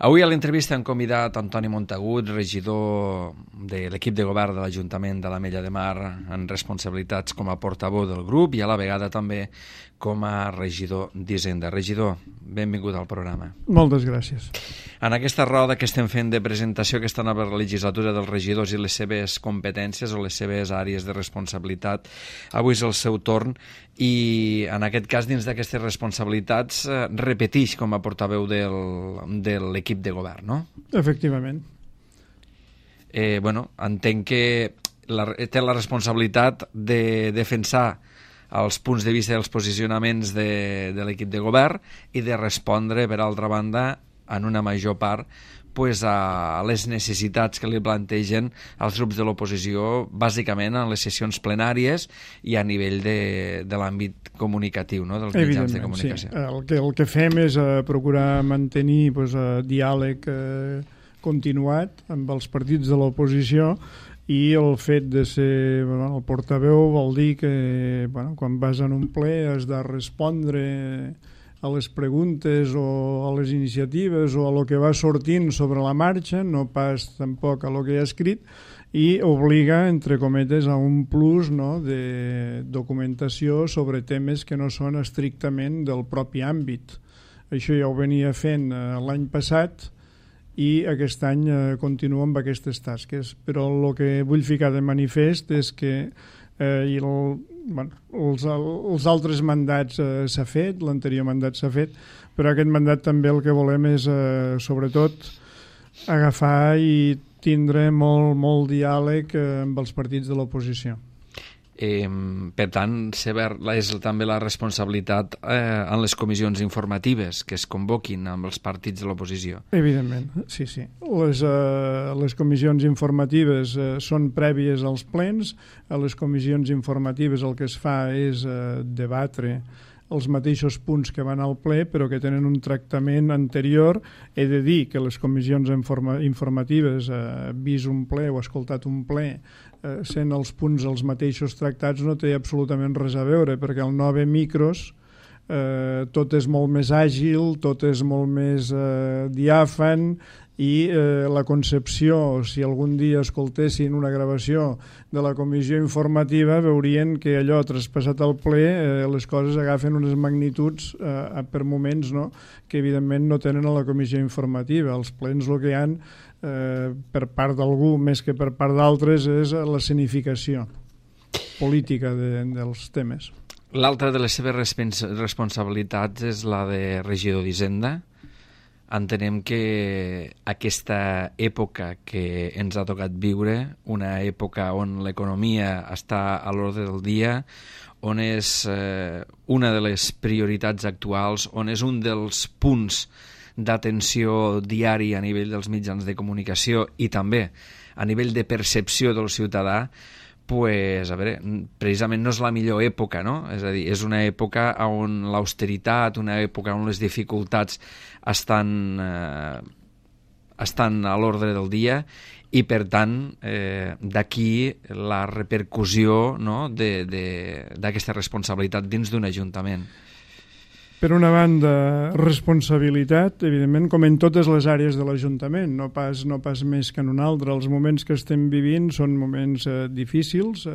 Avui a l'entrevista hem convidat Antoni Montagut, regidor de l'equip de govern de l'Ajuntament de l'Ametlla de Mar, en responsabilitats com a portaveu del grup i a la vegada també com a regidor d'Hisenda. Regidor, benvingut al programa. Moltes gràcies. En aquesta roda que estem fent de presentació aquesta nova legislatura dels regidors i les seves competències o les seves àrees de responsabilitat, avui és el seu torn i en aquest cas dins d'aquestes responsabilitats repetix com a portaveu de l'equip de govern, no? Efectivament. Entenc que té la responsabilitat de defensar els punts de vista i els posicionaments de l'equip de govern i de respondre, per altra banda, en una major part, a les necessitats que li plantegen els grups de l'oposició, bàsicament en les sessions plenàries i a nivell de l'àmbit comunicatiu, no? Dels mitjans de comunicació. Sí. El que fem és procurar mantenir diàleg continuat amb els partits de l'oposició i el fet de ser el portaveu vol dir que quan vas en un ple has de respondre a les preguntes o a les iniciatives o a lo que va sortint sobre la marxa, no pas tampoc a lo que hi ha escrit, i obliga, entre cometes, a un plus de documentació sobre temes que no són estrictament del propi àmbit. Això ja ho venia fent l'any passat i aquest any continuo amb aquestes tasques. Però el que vull ficar de manifest és que els altres mandats s'ha fet, l'anterior mandat s'ha fet, però aquest mandat també el que volem és, sobretot, agafar i tindre molt diàleg amb els partits de l'oposició. Per tant, és també la responsabilitat en les comissions informatives que es convoquin amb els partits de l'oposició. Evidentment, sí. Les comissions informatives són prèvies als plens. A les comissions informatives el que es fa és debatre els mateixos punts que van al ple, però que tenen un tractament anterior. He de dir que les comissions informatives, vist un ple o escoltat un ple, sent els punts els mateixos tractats, no té absolutament res a veure, perquè al 9 micros tot és molt més àgil, tot és molt més diàfan, i la concepció, si algun dia escoltessin una gravació de la comissió informativa, veurien que allò traspassat al ple les coses agafen unes magnituds per moments que evidentment no tenen a la comissió informativa. Els plens el que hi ha per part d'algú més que per part d'altres és l'escenificació política dels temes. L'altra de les seves responsabilitats és la de regidor d'Hisenda. Entenem que aquesta època que ens ha tocat viure, una època on l'economia està a l'ordre del dia, on és una de les prioritats actuals, on és un dels punts d'atenció diari a nivell dels mitjans de comunicació i també a nivell de percepció del ciutadà, precisament no és la millor època, no? És a dir, és una època on l'austeritat, una època on les dificultats estan a l'ordre del dia i, per tant, d'aquí la repercussió d'aquesta responsabilitat dins d'un ajuntament. Per una banda, responsabilitat, evidentment, com en totes les àrees de l'Ajuntament, no pas més que en una altra. Els moments que estem vivint són moments difícils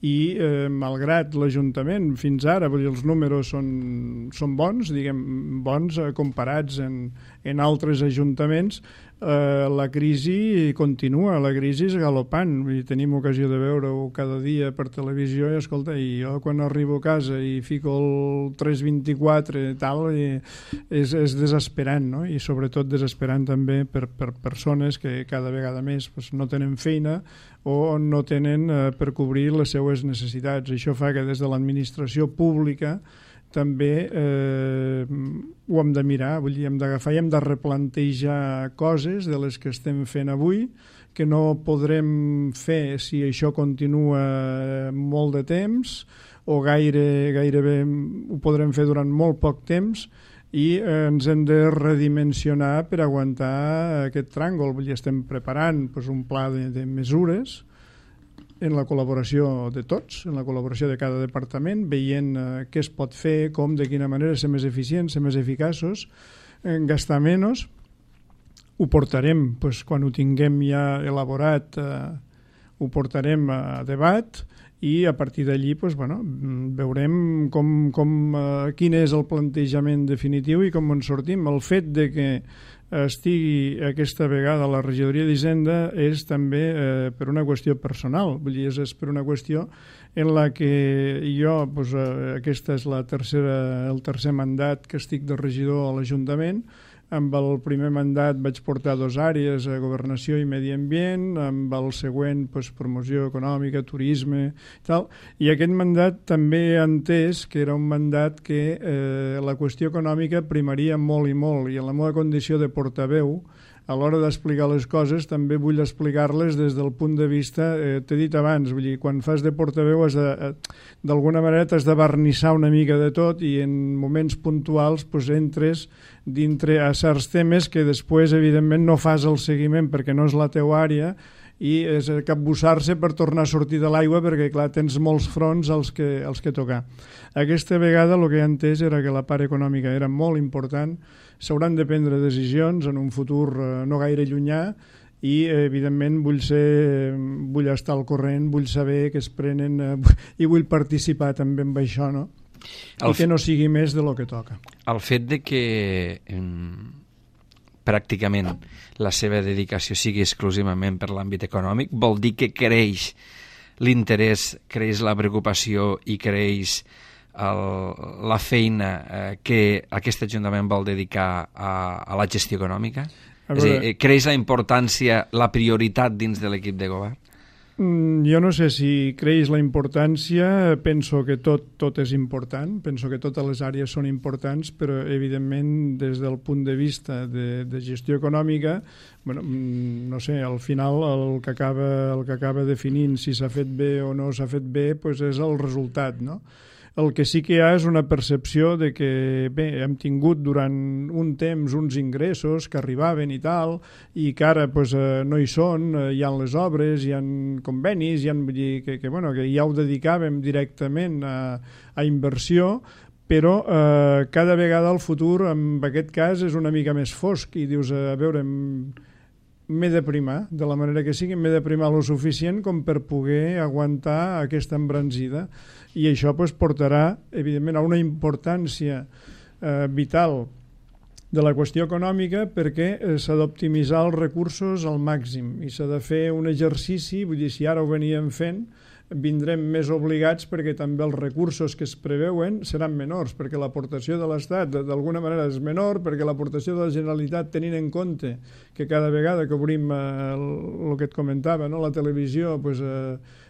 i, malgrat l'Ajuntament, fins ara, els números són bons, bons comparats en altres ajuntaments, la crisi continua, la crisi és galopant. Tenim ocasió de veure-ho cada dia per televisió i jo quan arribo a casa i fico el 324 és desesperant, no? I sobretot desesperant també per persones que cada vegada més no tenen feina o no tenen per cobrir les seues necessitats. Això fa que des de l'administració pública també ho hem de mirar, hem d'agafar i hem de replantejar coses de les que estem fent avui, que no podrem fer si això continua molt de temps o gairebé ho podrem fer durant molt poc temps i ens hem de redimensionar per aguantar aquest tràngol. Estem preparant un pla de mesures en la col·laboració de tots, en la col·laboració de cada departament, veient què es pot fer, com, de quina manera ser més eficients, ser més eficaços, gastar menys, ho portarem, doncs, quan ho tinguem ja elaborat, ho portarem a debat i a partir d'allí veurem quin és el plantejament definitiu i com en sortim. El fet de que estigui aquesta vegada a la regidoria d'Hisenda és també per una qüestió personal, vull dir, és per una qüestió en la que jo, aquesta és el tercer mandat que estic de regidor a l'Ajuntament. Amb el primer mandat vaig portar 2 àrees, governació i medi ambient, amb el següent promoció econòmica, turisme i tal, i aquest mandat també he entès que era un mandat que la qüestió econòmica primaria molt i molt, i en la meva condició de portaveu a l'hora d'explicar les coses també vull explicar-les des del punt de vista, t'he dit abans, vull dir, quan fas de portaveu d'alguna manera t'has de barnissar una mica de tot i en moments puntuals entres dintre a certs temes que després evidentment no fas el seguiment perquè no és la teua àrea i és capbussar-se per tornar a sortir de l'aigua perquè, clar, tens molts fronts als que tocar. Aquesta vegada el que he entès era que la part econòmica era molt important, s'hauran de prendre decisions en un futur no gaire llunyà i, evidentment, vull estar al corrent, vull saber que es prenen i vull participar també en això, no? I que no sigui més de lo que toca. El fet de que pràcticament la seva dedicació sigui exclusivament per l'àmbit econòmic vol dir que creix l'interès, creix la preocupació i creix la feina que aquest Ajuntament vol dedicar a la gestió econòmica? És a dir, creix la importància, la prioritat dins de l'equip de govern? Jo no sé si creix la importància, penso que tot és important, penso que totes les àrees són importants, però evidentment des del punt de vista de gestió econòmica, no sé, al final el que acaba definint si s'ha fet bé o no s'ha fet bé és el resultat, no? El que sí que hi ha és una percepció de que, bé, hem tingut durant un temps uns ingressos que arribaven i tal, i que ara no hi són, hi ha les obres, hi ha convenis, vull dir que ja ho dedicàvem directament a inversió, però cada vegada el futur, en aquest cas, és una mica més fosc i dius, a veure, m'he de primar, de la manera que sigui, m'he de primar lo suficient com per poder aguantar aquesta embranzida. I això portarà, evidentment, a una importància vital de la qüestió econòmica perquè s'ha d'optimitzar els recursos al màxim i s'ha de fer un exercici, vull dir, si ara ho veníem fent, vindrem més obligats perquè també els recursos que es preveuen seran menors, perquè l'aportació de l'Estat d'alguna manera és menor, perquè l'aportació de la Generalitat, tenint en compte que cada vegada que obrim el que et comentava, no? La televisió,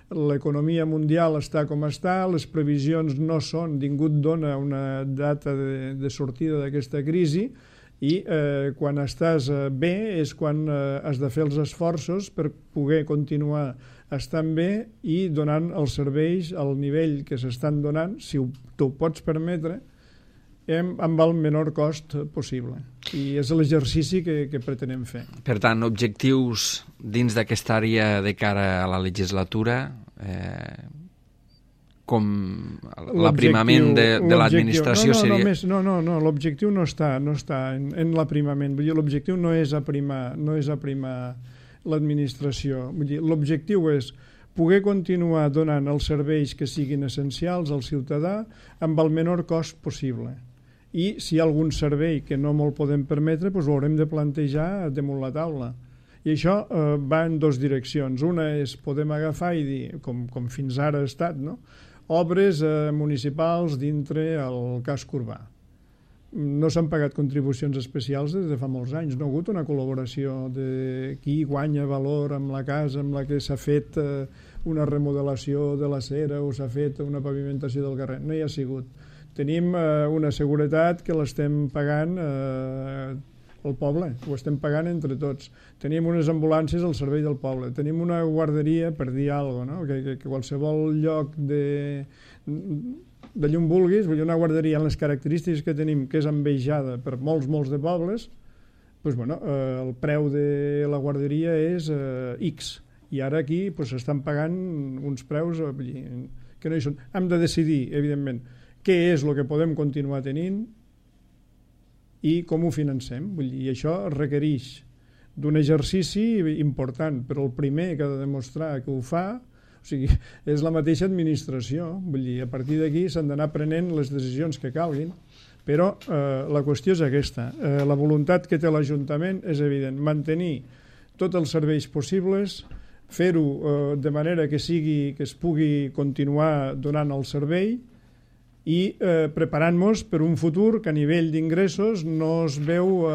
l'economia mundial està com està, les previsions no són, ningú dona una data de sortida d'aquesta crisi i quan estàs bé és quan has de fer els esforços per poder continuar estan bé i donant els serveis al nivell que s'estan donant, si t'ho pots permetre, amb el menor cost possible. I és l'exercici que pretenem fer. Per tant, objectius dins d'aquesta àrea de cara a la legislatura, com l'aprimament de l'administració seria... No, l'objectiu no està en l'aprimament. Vull dir, l'objectiu no és aprimar l'administració. Vull dir, l'objectiu és poder continuar donant els serveis que siguin essencials al ciutadà amb el menor cost possible. I si hi ha algun servei que no me'l podem permetre, ho haurem de plantejar damunt la taula. I això va en dues direccions. Una és podem agafar i dir, com fins ara ha estat, no? Obres municipals dintre el casc urbà. No s'han pagat contribucions especials des de fa molts anys. No ha hagut una col·laboració de qui guanya valor amb la casa amb la que s'ha fet una remodelació de l'acera o s'ha fet una pavimentació del carrer. No hi ha sigut. Tenim una seguretat que l'estem pagant al poble, ho estem pagant entre tots. Tenim unes ambulàncies al servei del poble. Tenim una guarderia, per dir alguna cosa, no? que qualsevol lloc d'allà on vulguis, vull dir, una guarderia amb les característiques que tenim, que és envejada per molts de pobles, el preu de la guarderia és X. I ara aquí s'estan pagant uns preus que no hi són. Hem de decidir, evidentment, què és el que podem continuar tenint i com ho financem. Vull dir, i això requereix d'un exercici important, però el primer que ha de demostrar que ho fa, o sigui, és la mateixa administració. Vull dir, a partir d'aquí s'han d'anar prenent les decisions que calguin, però la qüestió és aquesta. La voluntat que té l'Ajuntament és evident, mantenir tots els serveis possibles, fer-ho de manera que es pugui continuar donant el servei i preparant-nos per un futur que a nivell d'ingressos no es veu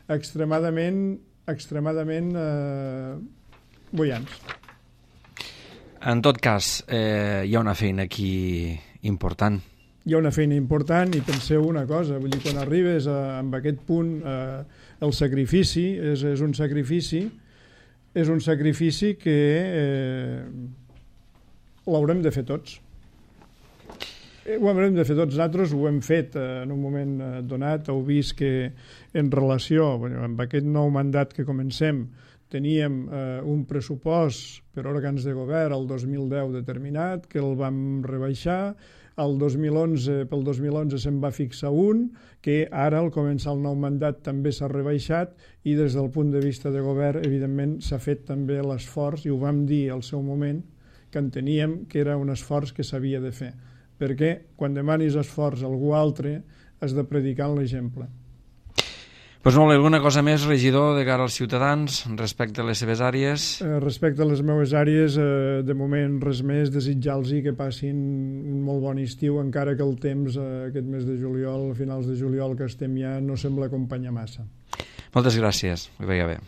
extremadament bullants. En tot cas, hi ha una feina aquí important. Hi ha una feina important i penseu una cosa, vull dir, quan arribes amb aquest punt, el sacrifici és un sacrifici que l'haurem de fer tots. Ho haurem de fer tots. Nosaltres ho hem fet en un moment donat. Heu vist que en relació amb aquest nou mandat que comencem teníem un pressupost per òrgans de govern el 2010 determinat, que el vam rebaixar. Pel 2011 se'n va fixar un, que ara al començar el nou mandat també s'ha rebaixat i des del punt de vista de govern, evidentment, s'ha fet també l'esforç, i ho vam dir al seu moment, que enteníem que era un esforç que s'havia de fer. Perquè quan demanis esforç a algú altre has de predicar en l'exemple. Doncs molt bé, alguna cosa més, regidor, de cara als ciutadans respecte a les seves àrees? Respecte a les meves àrees, de moment res més, desitjar-los que passin un molt bon estiu, encara que el temps aquest mes de juliol, a finals de juliol que estem ja, no sembla acompanyar massa. Moltes gràcies, que vagi bé.